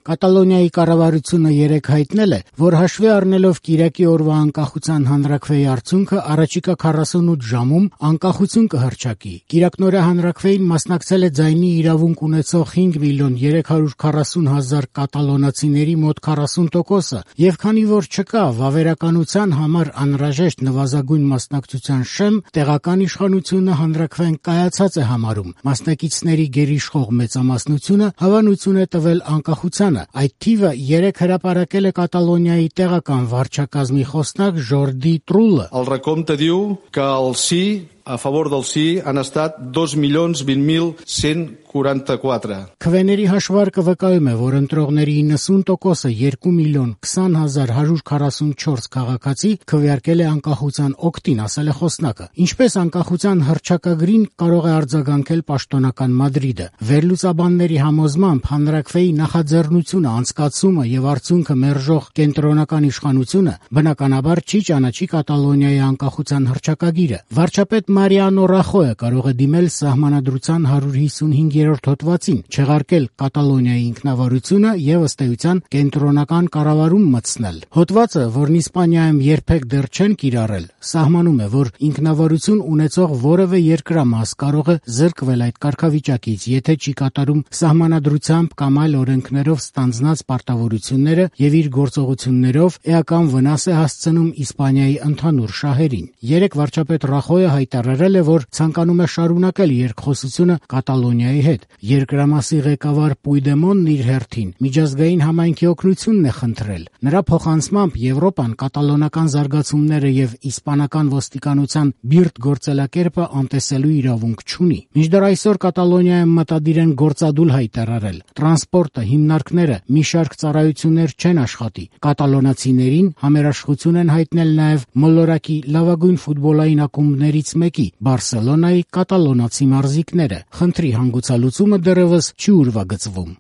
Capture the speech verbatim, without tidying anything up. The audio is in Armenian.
Կատալոնիայի կառավարությունը երեկ հայտնել է, որ հաշվի առնելով կիրակի օրվա անկախության հանրաքվեի արդյունքը առաջիկա քառասունութ ժամում անկախություն կհռչակի։ Կիրակնօրյա հանրաքվեին մասնակցել է ձայնի իրավունք ունեցող հինգ միլիոն երեք հարյուր քառասուն հազար կատալոնացիների մոտ քառասուն տոկոսը, եւ քանի որ չկա վավերականության համար անհրաժեշտ նվազագույն մասնակցության շեմ, տեղական իշխանությունը հանրաքվեն կայացած է համարում։ Մասնակիցների գերիշխող մեծամասնությունը հավանություն է տվել անկախությանը։ Այդ թիվը երեք հրապարակել է Կատալոնիայի տեղական վարչակազմի խոսնակ Ժորդի Տրուլը։ El recompte diu que el sí, a favor del sí, han estat dos milions vint mil cent quaranta-quatre. Քվեների հաշվարկը վկայում է, որ ընտրողների իննսուն տոկոսը երկու միլիոն քսան հազար հարյուր քառասունչորս քաղաքացի քվեարկել է անկախության օգտին, ասել է խոսնակը։ Ինչպես անկախության հռչակագրին կարող է արձագանքել պաշտոնական Մադրիդը։ Վերլուծաբանների համոզմամբ հանրաքվեի նախաձեռնությունը, անցկացումը եւ արդյունքը մերժող կենտրոնական իշխանությունը բնականաբար չի ճանաչի Կատալոնիայի անկախության հռչակագիրը։ Վարչապետ Մարիանո Ռախոյը կարող է դիմել սահմանադրության հարյուր հիսունհինգերորդ հոդվածին, չեղարկել Կատալոնիայի ինքնավարությունը եւ ըստ էության կենտրոնական կառավարում մտցնել։ Հոդվածը, որն Իսպանիայում երբեք դեռ չեն կիրառել, սահմանում է, որ ինքնավարություն ունեցող որևէ երկրամաս կարող է զրկվել այդ կարգավիճակից, եթե չի կատարում սահմանադրությամբ կամ այլ օրենքներով ստանձնած պարտավորությունները եւ իր գործողություններով էական վնաս է հասցնում Իսպանիայի ընդհանուր շահերին։ Երեք վարչապետ Ռախոյը հայտարարել է, որ ցանկանում է շարունակել երկխոսությունը Կատալոնիայի հետ։ Երկրամասի ղեկավար Պույդեմոնն իր հերթին միջազգային համայնքի օգնությունն է խնդրել։ Նրա փոխանցմամբ Եվրոպան կատալոնական զարգացումները եւ իսպանական ոստիկանության բիրտ գործելակերպը անտեսելու իրավունք չունի։ Մինչդեռ այսօր Կատալոնիայում մտադիր են գործադուլ հայտարարել։ Տրանսպորտը, հիմնարկները, մի շարք ծառայություններ չեն աշխատի։ Կատալոնացիներին համերաշխություն են հայտնել նաեւ մոլորակի լավագույն ֆուտբոլային ակումբներից մեկի՝ Բարսելոնայի կատալոնացի մարզիկները։ Խնդրի հանգուցալուծումը դեռևս չի ուրվագծվում։